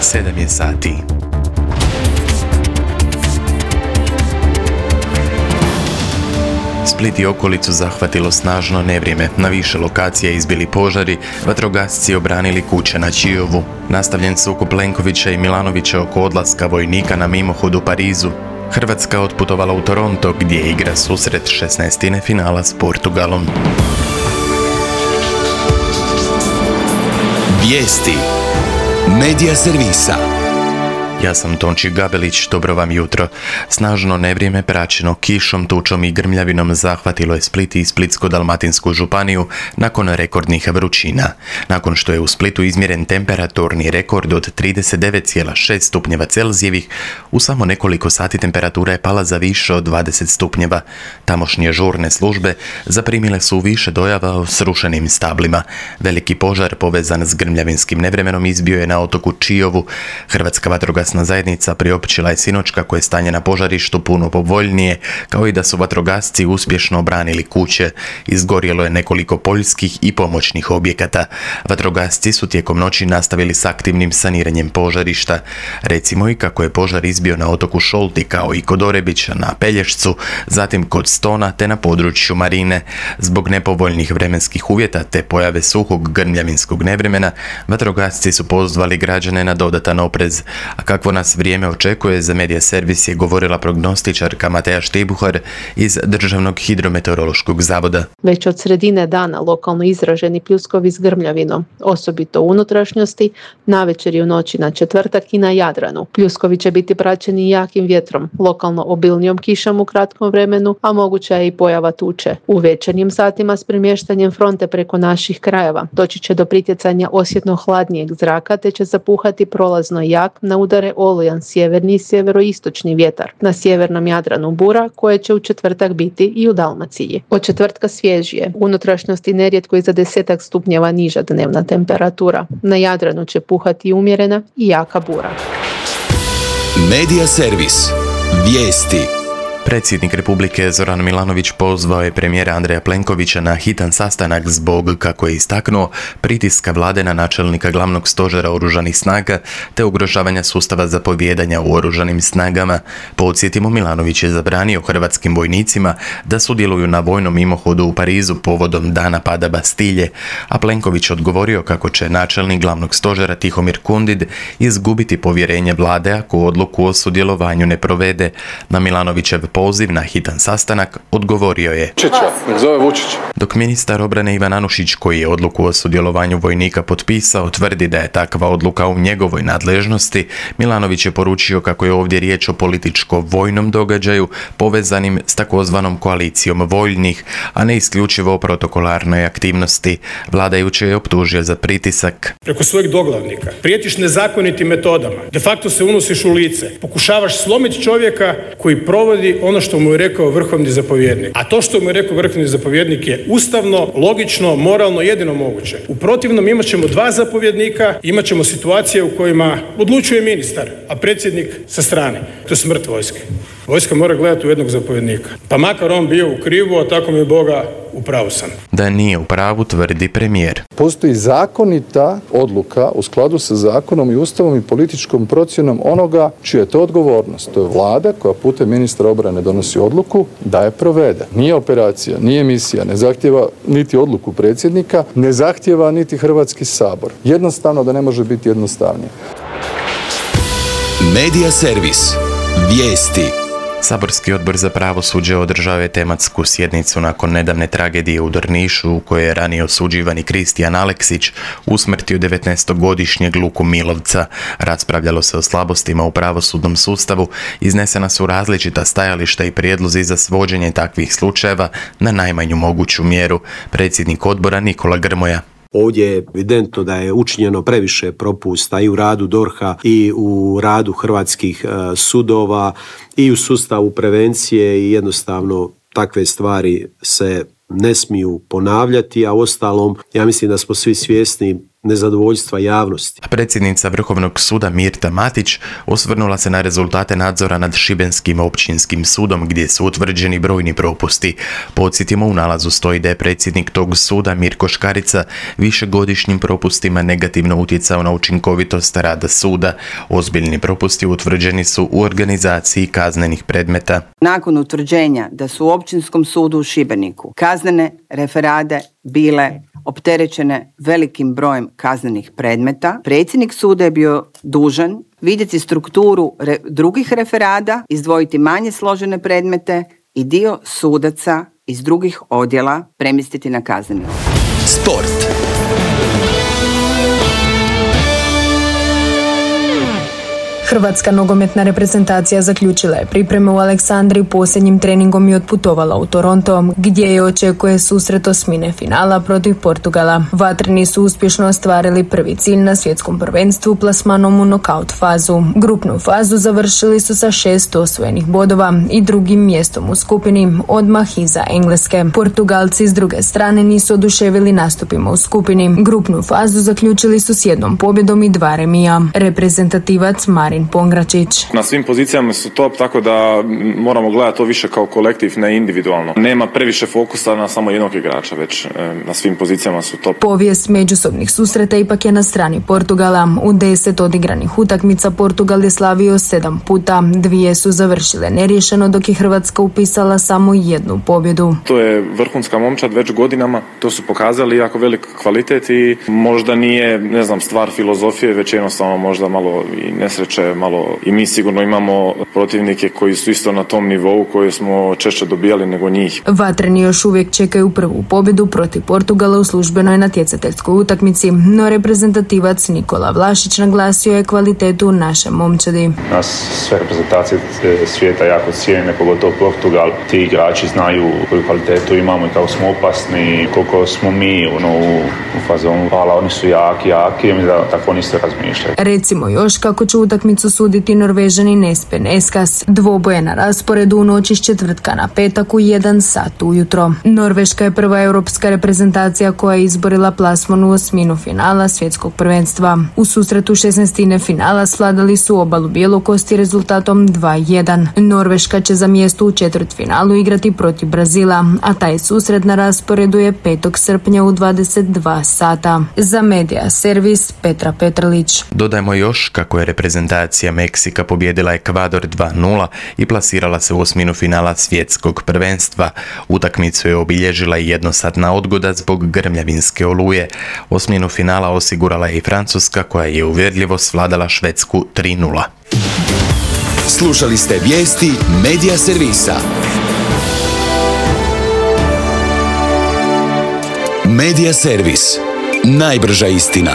7 je sati. Split i okolicu zahvatilo snažno nevrijeme. Na više lokacija izbili požari, vatrogasci obranili kuće na Čijovu. Nastavljen sukob Plenkovića i Milanovića oko odlaska vojnika na mimohod u Parizu. Hrvatska otputovala u Toronto gdje igra susret 16. finala s Portugalom. Vijesti Medija servisa. Ja sam Tonči Gabelić, dobro vam jutro. Snažno nevrijeme praćeno kišom, tučom i grmljavinom zahvatilo je Split i Splitsko-dalmatinsku županiju nakon rekordnih vrućina. Nakon što je u Splitu izmjeren temperaturni rekord od 39,6 stupnjeva Celzijevih, u samo nekoliko sati temperatura je pala za više od 20 stupnjeva. Tamošnje žurne službe zaprimile su više dojava o srušenim stablima. Veliki požar povezan s grmljavinskim nevremenom izbio je na otoku Čijovu. Hrvatska vatrogasna zajednica priopćila je sinoć kako je stanje na požarištu puno povoljnije, kao i da su vatrogasci uspješno obranili kuće. Izgorjelo je nekoliko poljskih i pomoćnih objekata. Vatrogasci su tijekom noći nastavili s aktivnim saniranjem požarišta. Recimo i kako je požar izbio na otoku Šolti, kao i kod Orebića na Pelješcu, zatim kod Stona te na području Marine. Zbog nepovoljnih vremenskih uvjeta te pojave suhog grmljavinskog nevremena, vatrogasci su pozvali građane na dodatan oprez. A kakvo nas vrijeme očekuje, za Medija servis je govorila prognostičarka Mateja Štibuhar iz Državnog hidrometeorološkog zavoda. Već od sredine dana lokalno izraženi pljuskovi s grmljavinom, osobito u unutrašnjosti, navečer i u noći na četvrtak i na Jadranu. Pljuskovi će biti praćeni jakim vjetrom, lokalno obilnijom kišom u kratkom vremenu, a moguća je i pojava tuče. U večernjim satima s premještanjem fronte preko naših krajeva doći će do pritjecanja osjetno hladnijeg zraka, te će zapuhati prolazno jak, na udare olujan sjeverni i sjeveroistočni vjetar. Na sjevernom Jadranu bura, koje će u četvrtak biti i u Dalmaciji. Od četvrtka svježije, u unutrašnjosti nerijetko i za 10 stupnjeva niža dnevna temperatura. Na Jadranu će puhati umjerena i jaka bura. Medija servis. Vijesti. Predsjednik Republike Zoran Milanović pozvao je premijera Andreja Plenkovića na hitan sastanak zbog, kako je istaknuo, pritiska vlade na načelnika glavnog stožera oružanih snaga te ugrožavanja sustava zapovijedanja u oružanim snagama. Podsjetimo, Milanović je zabranio hrvatskim vojnicima da sudjeluju na vojnom mimohodu u Parizu povodom dana pada Bastilje, a Plenković odgovorio kako će načelnik glavnog stožera Tihomir Kundid izgubiti povjerenje vlade ako odluku o sudjelovanju ne provede. Na Milanovićev poziv na hitan sastanak odgovorio je dok ministar obrane Ivan Anušić, koji je odluku o sudjelovanju vojnika potpisao, tvrdi da je takva odluka u njegovoj nadležnosti, Milanović je poručio kako je ovdje riječ o političko-vojnom događaju povezanim s takozvanom koalicijom voljnih, a ne isključivo o protokolarnoj aktivnosti. Vladajuće je optužio za pritisak. Preko svojeg doglavnika prijetiš nezakonitim metodama, de facto se unosiš u lice, pokušavaš slomiti čovjeka koji provodi ono što mu je rekao vrhovni zapovjednik. A to što mu je rekao vrhovni zapovjednik je ustavno, logično, moralno, jedino moguće. U protivnom imat ćemo 2 zapovjednika, imat ćemo situacije u kojima odlučuje ministar, a predsjednik sa strane. To je smrt vojske. Vojska mora gledati u jednog zapovjednika. Pa makar on bio u krivu, a tako mi Boga, u pravu sam. Da nije u pravu, tvrdi premijer. Postoji zakonita odluka u skladu sa zakonom i ustavom i političkom procjenom onoga čija je to odgovornost. To je vlada koja putem ministra obrane donosi odluku da je provede. Nije operacija, nije misija, ne zahtjeva niti odluku predsjednika, ne zahtjeva niti Hrvatski sabor. Jednostavno da ne može biti jednostavnije. Medija servis. Vijesti. Saborski odbor za pravosuđe održao je tematsku sjednicu nakon nedavne tragedije u Drnišu u kojoj je ranije osuđivani Kristijan Aleksić usmrtio 19-godišnjeg Luku Milovca. Raspravljalo se o slabostima u pravosudnom sustavu, iznesena su različita stajališta i prijedlozi za svođenje takvih slučajeva na najmanju moguću mjeru. Predsjednik odbora Nikola Grmoja. Ovdje je evidentno da je učinjeno previše propusta i u radu DORH-a i u radu hrvatskih sudova i u sustavu prevencije i jednostavno takve stvari se ne smiju ponavljati, a uostalom ja mislim da smo svi svjesni nezadovoljstva javnosti. Predsjednica Vrhovnog suda Mirta Matić osvrnula se na rezultate nadzora nad Šibenskim općinskim sudom gdje su utvrđeni brojni propusti. Podsjetimo, u nalazu stoji da je predsjednik tog suda Mirko Škarica višegodišnjim propustima negativno utjecao na učinkovitost rada suda. Ozbiljni propusti utvrđeni su u organizaciji kaznenih predmeta. Nakon utvrđenja da su u Općinskom sudu u Šibeniku kaznene referade bile opterećene velikim brojem kaznenih predmeta, predsjednik suda je bio dužan vidjeti strukturu drugih referada, izdvojiti manje složene predmete i dio sudaca iz drugih odjela premjestiti na kazneni. Sport. Hrvatska nogometna reprezentacija zaključila je pripreme u Aleksandriji posljednjim treningom i otputovala u Toronto, gdje je očekuje susret osmine finala protiv Portugala. Vatreni su uspješno ostvarili prvi cilj na svjetskom prvenstvu plasmanom u nokaut fazu. Grupnu fazu završili su sa 6 osvojenih bodova i drugim mjestom u skupini, odmah iza Engleske. Portugalci s druge strane nisu oduševili nastupima u skupini. Grupnu fazu zaključili su s 1 pobjedom i 2 remija. Reprezentativac Marin Pongračić. Na svim pozicijama su top, tako da moramo gledati to više kao kolektiv, ne individualno. Nema previše fokusa na samo jednog igrača, već na svim pozicijama su top. Povijest međusobnih susreta ipak je na strani Portugala. U 10 odigranih utakmica Portugal je slavio 7 puta, 2 su završile neriješeno, dok je Hrvatska upisala samo 1 pobjedu. To je vrhunska momčad već godinama, to su pokazali jako velik kvalitet i možda nije, stvar filozofije, već jednostavno možda malo i nesreće, malo i mi sigurno imamo protivnike koji su isto na tom nivou koje smo češće dobijali nego njih. Vatreni još uvijek čekaju prvu pobjedu protiv Portugala u službenoj natjecateljskoj utakmici, no reprezentativac Nikola Vlašić naglasio je kvalitetu naše momčadi. Nas sve reprezentacije svijeta jako cijene, pogotovo Portugal. Ti igrači znaju koju kvalitetu imamo i kako smo opasni, koliko smo mi u fazonu. Hvala, oni su jaki i da tako oni se razmišljaju. Recimo još kako će utakmicu suditi Norvežanin Espen Eskas. Dvoboje na rasporedu u noći s četvrtka na petak u 1 sat ujutro. Norveška je prva europska reprezentacija koja je izborila plasman u osminu finala svjetskog prvenstva. U susretu 16. finala svladali su obalu Bjelokosti rezultatom 2-1. Norveška će za mjesto u četvrtfinalu igrati protiv Brazila, a taj susret na rasporedu je 5. srpnja u 22 sata. Za Medija servis Petra Petrlić. Dodajmo još kako je reprezentacija Meksika pobijedila Ekvador 2-0 i plasirala se u osminu finala svjetskog prvenstva. Utakmicu je obilježila i jednosatna odgoda zbog grmljavinske oluje. Osminu finala osigurala je i Francuska koja je uvjerljivo svladala Švedsku 3-0. Slušali ste vijesti Medija servisa. Medija servis. Najbrža istina.